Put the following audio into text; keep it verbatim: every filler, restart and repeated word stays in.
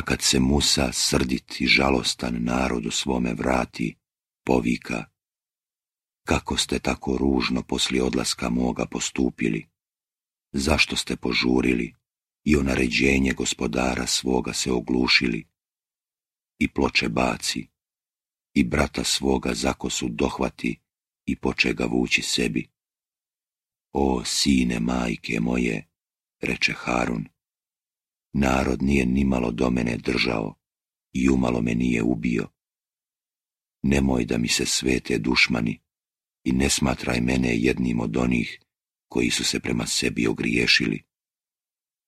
A kad se Musa, srdit i žalostan, narodu svome vrati, povika: kako ste tako ružno poslije odlaska moga postupili? Zašto ste požurili i o naređenje gospodara svoga se oglušili? I ploče baci, i brata svoga za kosu dohvati i poče ga vući sebi. O sine majke moje, reče Harun, narod nije nimalo do mene držao i umalo me nije ubio. Nemoj da mi se svete dušmani i ne smatraj mene jednim od onih koji su se prema sebi ogriješili.